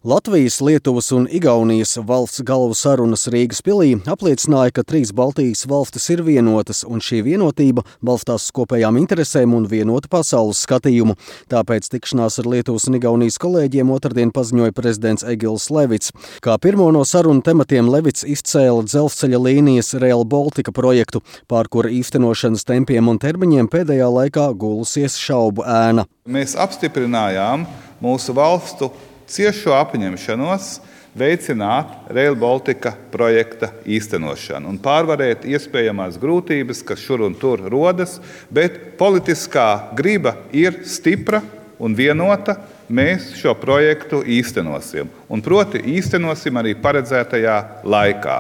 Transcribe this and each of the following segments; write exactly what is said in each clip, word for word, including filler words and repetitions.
Latvijas, Lietuvas un Igaunijas valsts galvu sarunas Rīgas pilī apliecināja, ka trīs Baltijas valstis ir vienotas, un šī vienotība balstās uz kopējām interesēm un vienotu pasaules skatījumu. Tāpēc tikšanās ar Lietuvas un Igaunijas kolēģiem otrdien paziņoja prezidents Egils Levits. Kā pirmo no sarunu tematiem Levits izcēla dzelzceļa līnijas Rail Baltica projektu, pār kura īstenošanas tempiem un termiņiem pēdējā laikā gulusies šaubu ēna. Mēs apstiprinājām mūsu valstu ciešo apņemšanos veicināt Rail Baltica projekta īstenošanu un pārvarēt iespējamās grūtības, kas šur un tur rodas, bet politiskā griba ir stipra un vienota. Mēs šo projektu īstenosim, un proti īstenosim arī paredzētajā laikā.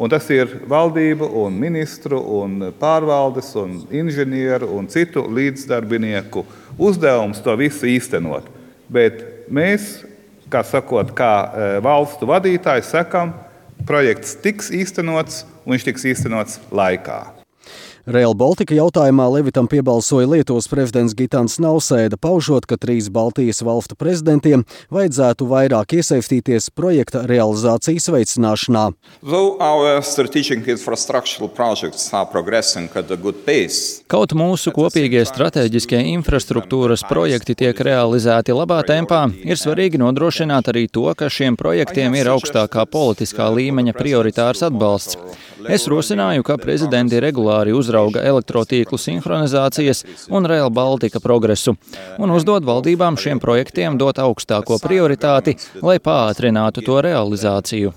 Un tas ir valdību un ministru un pārvaldes un inženieru un citu līdzdarbinieku uzdevums to visu īstenot. Bet mēs, kā sakot, kā valstu vadītāji sakam, projekts tiks īstenots un viņš tiks īstenots laikā. Rail Baltica jautājumā Levitam piebalsoja Lietuvas prezidents Gitans Nausēda, paužot, ka trīs Baltijas valstu prezidentiem vajadzētu vairāk iesaistīties projekta realizācijas veicināšanā. Kaut mūsu kopīgie strateģiskie infrastruktūras projekti tiek realizēti labā tempā, ir svarīgi nodrošināt arī to, ka šiem projektiem ir augstākā politiskā līmeņa prioritārs atbalsts. Es rosināju, ka prezidenti regulāri uzrauga elektrotīklu sinhronizācijas un Rail Baltica progresu un uzdod valdībām šiem projektiem dot augstāko prioritāti, lai pātrinātu to realizāciju.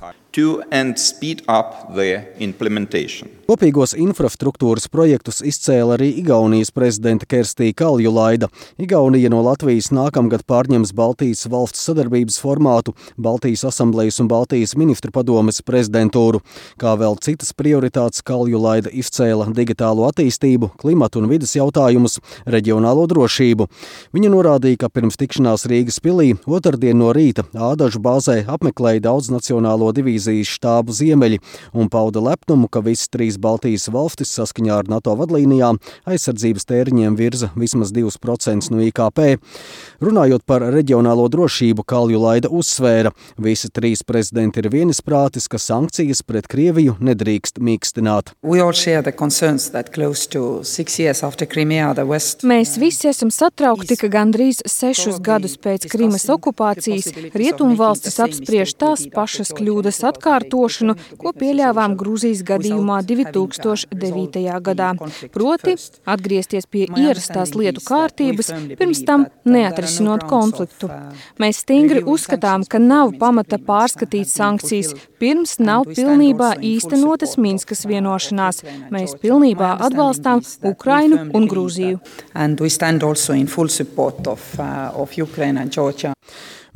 Kopīgos infrastruktūras projektus izcēla arī Igaunijas prezidenta Kerstī Kaljulaida. Igaunija no Latvijas nākamgad pārņems Baltijas valstu sadarbības formātu, Baltijas asamblejas un Baltijas ministru padomes prezidentūru. Kā vēl citas prioritātes Kaljulaida izcēla digitālo attīstību, klimatu un vides jautājumus, reģionālo drošību. Viņa norādīja, ka pirms tikšanās Rīgas pilī otrdien no rīta Ādažu bāzē apmeklēja daudznacionālo divīziju štābu Ziemeļi un pauda lepnumu, ka visas trīs Baltijas valstis saskaņā ar NATO vadlīnijām aizsardzības tēriņiem virza vismaz divus procentus no I K P. Runājot par reģionālo drošību, Kaljulaida uzsvēra, visi trīs prezidenti ir vienisprātis, ka sankcijas pret Krieviju nedrīkst mīkstināt. Mēs visi esam satraukti, ka gandrīz sešus gadus pēc Krimas okupācijas rietumvalstis apspriež tās pašas kļūdas atkārtošanu, ko pieļāvām Grūzijas gadījumā divi tūkstoši devītajā gadā. Proti, atgriezties pie ierastās lietu kārtības, pirms tam neatrisinot konfliktu. Mēs stingri uzskatām, ka nav pamata pārskatīt sankcijas, pirms nav pilnībā īstenotas Minskas vienošanās. Mēs pilnībā atbalstām Ukrainu un Grūziju.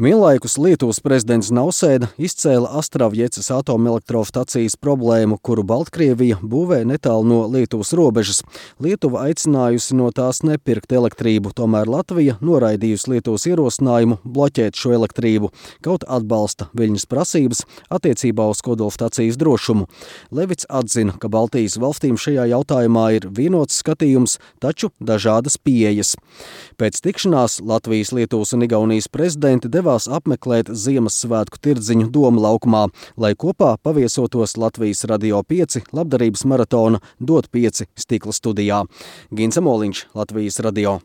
Vienlaikus Lietuvas prezidents Nausēda izcēla Astravjecas atomelektrostacijas problēmu, kuru Baltkrievija būvē netālu no Lietuvas robežas. Lietuva aicinājusi no tās nepirkt elektrību, tomēr Latvija noraidījusi Lietuvas ierosinājumu bloķēt šo elektrību, kaut atbalsta Viļņas prasības attiecībā uz kodolstacijas drošumu. Levits atzina, ka Baltijas valstīm šajā jautājumā ir vienots skatījums, taču dažādas pieejas. Pēc tikšanās Latvijas, Lietuvas un Igaunijas prezidenti devās apmeklēt Ziemassvētku tirdziņu Doma laukumā, lai kopā paviesotos Latvijas Radio pieci labdarības maratona Dot pieci stikla studijā. Gins Amoliņš, Latvijas Radio.